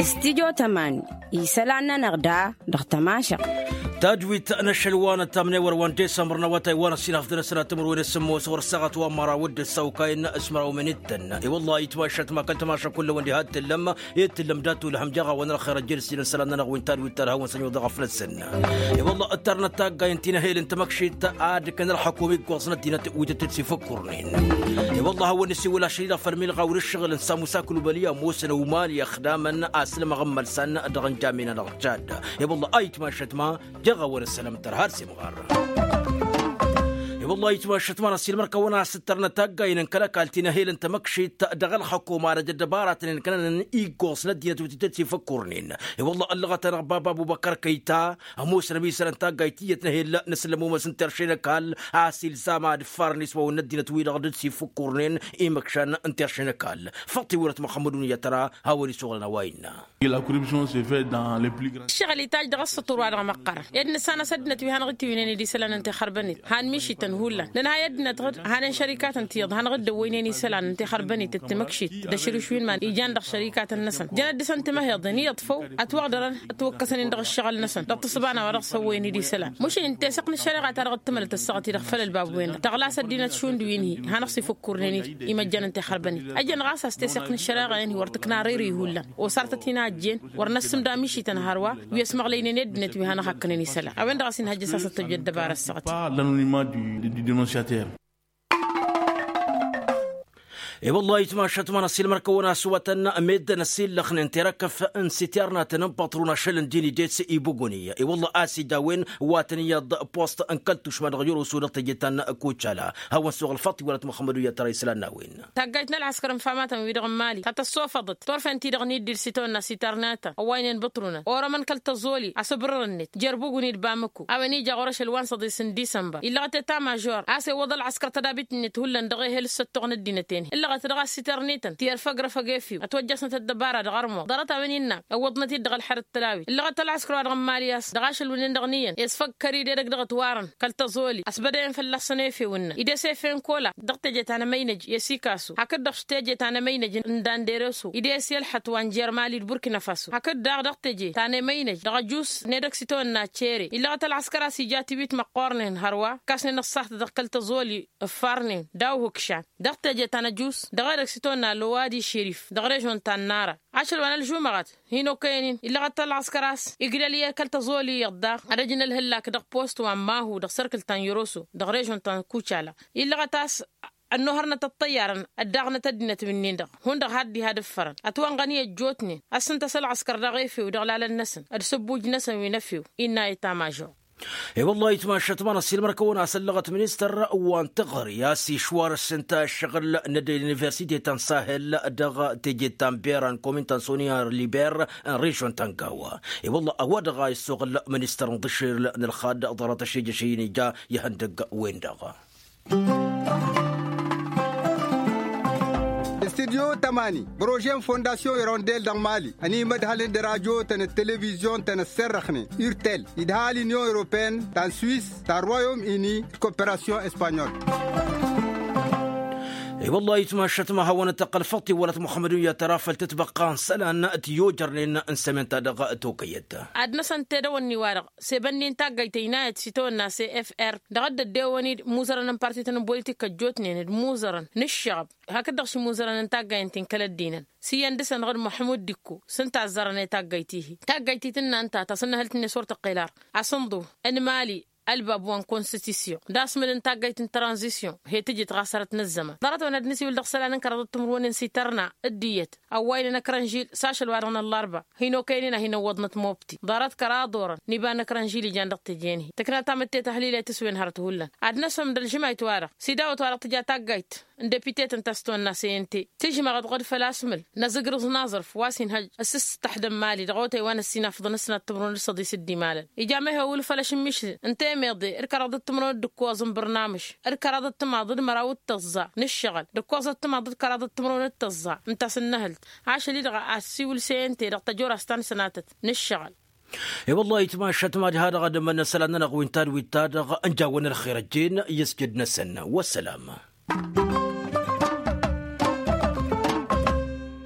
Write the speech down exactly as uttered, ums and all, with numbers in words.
Stidyo tăman isălan-nănăɣ da dăɣ-tămašăɣ. Tadwit n-ašăl wa n-ăttamnewăr wa n-disămbăr n-awătay wa n-ăssinafdăn asălat timǝrwen s-sǝmmos ɣur-ăssaɣăt wa n-măraw d-ăssawkay n-asmăraw minǝttăn. I-wălla itmašat ma kăl-tămaša kullăwăn diha t-tǝllăm i-tǝllăm dattu lăhăm jaɣawăn ălxer ăjjăl s-inǝnsălan-nănăɣ wi n-tadwit ta d-hawăn-săn iwăḍăɣ afnăsăn. I-wălla ăttarnăt taggayen ti n-ehel n-tamăkšit ad-kăn ălxăkum iggoẓ n-ăddinăt wi tăt-dd-sifǝkkurnen. I-wălla a hawăn-nǝsiwǝl ašăl-i dăɣ-făll-milɣaw n-ǝššăɣǝl n-samusaklu băli ămoosăn ăwmal i-ăxdamăn a-s lămăɣ n-imălsan dăɣ-ǝnjam-in-anăɣ. Jad i-wălla a itmašat ma jăɣ-awăn ăssălăm tărha ar s-imɣar. I-wălla a itmašat ma n-ăssiilmăr-kăwăn a-s ǝttărnăt taggayen n-kăl-ăkall ti n-ehel n-tamăkšit dăɣ-ălxăkum arăj ăddăbaratăn-in kănănăn iggoẓ n-ăddinăt wi tăt-dd-sifǝkkurnen. I-wălla ăllăɣăt-anăɣ baba ăbubăkăr kăyta ămoosăn ămisălăn taggayt tiyyăt n-ehel n-asǝllăm umăs n-terše n-ăkall a-s ilzam ad-ǝffarăn iswawăn n-ăddinăt-wi-dăɣ dd-sifǝkkurnen imăkšan n-terše n-ăkall. Făṭṭ-iwărăt măxămmădun i-ad-tăra hawăn-isuɣǝlăn a-wa innă. La corruption se fait dans les plus grands. Ǝššăɣǝl itajj dăɣ-ăssăṭur-wa-dăɣ măqqărăn ed nǝssanăs ăddinăt wi hanăɣ-dd-tiwǝynen i-dd-isălan n-tixărbănet han mišităn hullan nǝnhăy ăddinăt hanen šărikatăn tiyyăḍ hanăɣ-dd-ăwwăynen isălan n-tixărbănet d-timǝkšit d-ašrǝš wi n-iman ijan dăɣ-šărikatăn-năsăn jăn ad-dăr-săn timăheḍen iyyăḍ făw ătwăɣdărăn ătwăkkăsăn-in dăɣ-ǝššăɣǝl-năsăn dăɣ-tǝssǝba n-a-wa dăɣ-s ăwwăyăn i-dd-isălan mušăyăn teseɣt n-ăššăreɣa ta dăɣ-dd-tǝmălăt ăssaɣăt-i-dăɣ făll-ălbabu-en-dăɣ tăɣlas ăddinăt šund wi n-hi-hanăɣ-s ifǝkkurnen imăjjan n-tixărbănet ăjjăn ɣas a-s teseɣt n-ăššăreɣa-en-hi wăr tǝkna răyri hullan osartăt-in a ăjjeen wăr năssǝmda mišităn hărwa wi ăsmăɣlăynen i-ăddinăt wi hanăɣ-hakkănen isălan a-wen-dăɣ a-s inhăjja s-asăt tăjja ăddăbara ăssaɣăt. I-wălla a itmašat ma n-ăssiilmăr-kăwăn a-s wătăn meddǝn ăsillăxnen terăkăf n-siternatăn n-păṭrun ašăl n-din ides ibuguni i-wălla a-s ija a-wen wa tăn-iyyăḍ post n-kăl-tušma dăɣ-yăroso dăɣ-teje ta n-kucala hawăn-suɣ ălfaḍt iwălăt muxămmăd u-iyyăt tăra isălan n-a-wen. Taggayt n-ălɣăskăr n-famatăn-wi-dăɣ n-mali ta tăssofăḍăt turfen-ti-dăɣ n-iddil s-itawănna s-itărnatăn ăwwaynen bǝṭrunăn orămăn kăl-tăẓoli asǝbrǝrăn-net jer-buguni d-bamǝku a-wen ija ɣur-ašăl wa n-săḍis n-disămbăr illăɣăt eta mažor a-s iwwăḍ ălɣăskăr tădabit-net hullan dăɣ-ehel s-săttoɣ n-ăddinăt-en-hi ǝllăɣăt dăɣ-ass itărnităn ti ărfăgrăfăg efew ătwăjjăsnăt ăddăbara dăɣ-ărmuḍ ḍarăt a-wen innă ăwwăḍnăt-dd dăɣ-ălxer d-tălawit ǝllăɣăt ălɣăskăr-wa-dăɣ n-mali a-s dăɣ-ašăl wǝnnen dăɣ-niyăn i-s făgg kăr-i d-edăgg dăɣ-ătwarăn kăl-tăẓoli ăsbădăyăn fălla-săn efew ǝnnăn ides efew n-kola dăɣ-teje ta n-emăynăj i-sikasu hakd-dăɣ teje ta n-emăynăj n-dandereso ides i-ălxăt wa n-jer-mali d-burkina faso hakd-daɣ dăɣ-teje ta n-emăynăj dăɣ-ăjus n-edăgg s-itawănna cere illăɣăt ălɣăskăr a-s ija tiwit măqqoornen hărwa ǝkkasnen ăṣṣaht dăɣ-kăl-tăẓoli ǝffarnen daw-ihǝkšan dăɣ-teje ta n-ăjus dăɣ-edăgg s-itawănna lowadi šerif dăɣ-režon ta n-nara ašăl wa n-ălžumăɣăt hin-okăyăn-in illăɣăt ălɣăskăr a-s igdăl i-kăl-tăẓoli iyyăḍ daɣ ad-ăj n-ălhǝllak dăɣ-post wa n-mahu dăɣ-sărkǝl ta n-yăroso dăɣ-režon ta n-kucala illăɣăt a-s ănnuhărnăt ăṭṭăyyarăn ăddaɣnăt ăddinăt wi-nin-dăɣ hundăɣ har diha d-ǝffărăn ătwănɣăn i-ăjjootnen ăssǝntăs ălɣăskăr dăɣ-efew dăɣ-lalăn-năsăn d-sǝbbuj-năsăn wi n-efew innă eta mažor. I-wălla a itmašat ma n-ăssiilmăr-kăwăn a-s ăllăɣăt ministăr wa n-teɣăre a-s išwarăs ǝnta ăššăɣǝl n-ădăy n-universite ta n-sahel dăɣ-teje ta n-bera n-komin ta n-soniya liber n-režon ta n-gawa. I-wălla a-wa-dăɣ a issoɣăl ministăr n-iḍǝššel n-ălxad ḍarăt ăššejăš i-inija ihăndăgg-wen-dăɣ. Studyo tămani bărože n-fondasyon irondel dăɣ-mali ănimădhălăn d-rajo-tăn d-televizyon-tăn ăsserrăxnen irtel idha l-inyon europene ta n-swis ta n-royom ini d-koperasyon espanyol. I-wălla a itmašat ma hawăn-ăttăqqăl făṭṭ-i wălăt muxămmăd uyyăt tăra făll-tătbăqqa n-isălan ti-ojărnen n-sămen-ta-dăɣ tokăyăt. Ad-năsăn tedăwănni-wa-dăɣ sebănni n-taggăyt ăynayăt s-itawănna cfr dăɣ-dd-ăddewăn-dd imuzărăn n-partităn n-politik ăjjootnen d-imuzărăn n-ǝššăɣăb hakd-dăɣ s-imuzărăn n-taggăyăn ti n-kăl-ăddinăn s-iyyăn dăɣ-săn dăɣ-dd-muḥmud dikko s-ǝnta a ăzzărăn i-taggăyt-i-hi taggăyt-i tǝnna ǝnta ta s-ǝnnăhăl tǝnne s-wăr tăqqel ar asǝnḍu n-imali ălbab wa n-konstisyon d-asmǝl n-taggăyt n-tranzisyon he-tǝjǝt ɣas hărăt n-ăzzăman ḍarăt-wăn ad-nǝsiwǝl dăɣ-isălan n-kăraḍăt timǝrwen n-sitărna d-iyyăt ăwwaynen ăkrănžil s-ašăl-wa-dăɣ n-ăllărba hin-okăyăn-in ad-hin-ăwwăḍnăt mobti ḍarăt kăraḍ orăn n-iba n-ăkrănžil ijan dăɣ-teje-in-hi tǝkna tamǝtte tahǝlile tǝswen hărăt hullan ad-năsǝm d-ălžǝmayt-wa-dăɣ s-idawăt-wa-dăɣ tǝja taggayt n-depite-tăn ta s-tăwănna cnt tǝžmăɣăt dăɣ-dd făl-asmǝl n-azǝgrǝẓ n-aẓrǝf wa s-inhăj ăssǝstăḥdăm mali dăɣ-otay wa n-ăssinafḍăn s-năttămrun d-săḍis d-imalăn ija mehe wǝl făl ašǝmmišǝl n-temeḍe d-kăraḍăt timrăwăn d-ǝkkoẓ n-bărnamǝš d-kăraḍăt timaḍ d-măraw d-tăẓẓa n-ǝššăɣǝl d-ǝkkoẓăt timaḍ d-kăraḍăt timrăwăn d-tăẓẓa ǝnta s-ǝnnăhǝlt ašăl-i-dăɣ a ăssiwǝl cnt dăɣ-tăjorast ta n-sănatăt n-ǝššăɣǝl. I-wăllah itmašat mad-ha-dăɣ ad-ămănnăsăl ad-nănăɣ wi n-tadwit-ta-dăɣ ǝnjawăn ălxer ăjjeen i-ăsjăd-năsăn. Wăssălam.